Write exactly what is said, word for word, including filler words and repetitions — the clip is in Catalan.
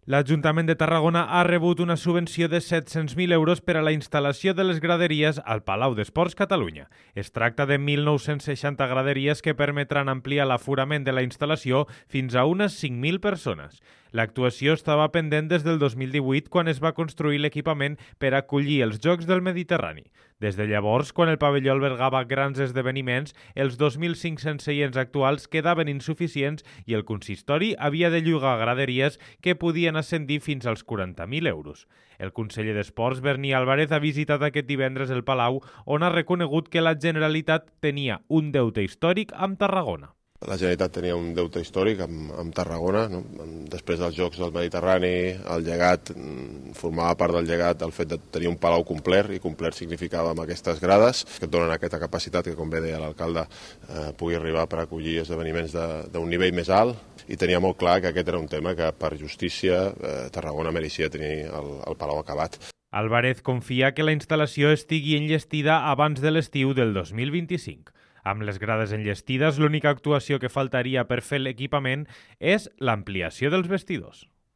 L'Ajuntament de Tarragona ha rebut una subvenció de set-cents mil euros per a la instal·lació de les graderies al Palau d'Esports Catalunya. Es tracta de mil nou-cents seixanta graderies que permetran ampliar l'aforament de la instal·lació fins a unes cinc mil persones. L'actuació estava pendent des del dos mil divuit, quan es va construir l'equipament per acollir els Jocs del Mediterrani. Des de llavors, quan el pavelló albergava grans esdeveniments, els dos mil cinc-cents seients actuals quedaven insuficients i el consistori havia de llogar graderies que podien ascendir fins als quaranta mil euros. El conseller d'Esports, Berni Álvarez, ha visitat aquest divendres el Palau, on ha reconegut que la Generalitat tenia un deute històric amb Tarragona. La Generalitat tenia un deute històric amb, amb Tarragona, no? Després dels Jocs del Mediterrani, el llegat, formava part del llegat el fet de tenir un palau complet, i complet significava amb aquestes grades, que et donen aquesta capacitat que, com bé deia l'alcalde, eh, pugui arribar per acollir esdeveniments d'un nivell més alt, i tenia molt clar que aquest era un tema que, per justícia, eh, Tarragona mereixia tenir el, el palau acabat. Álvarez confia que la instal·lació estigui enllestida abans de l'estiu del dos mil vint-i-cinc. Amb les grades enllestides, l'única actuació que faltaria per fer l'equipament és l'ampliació dels vestidors.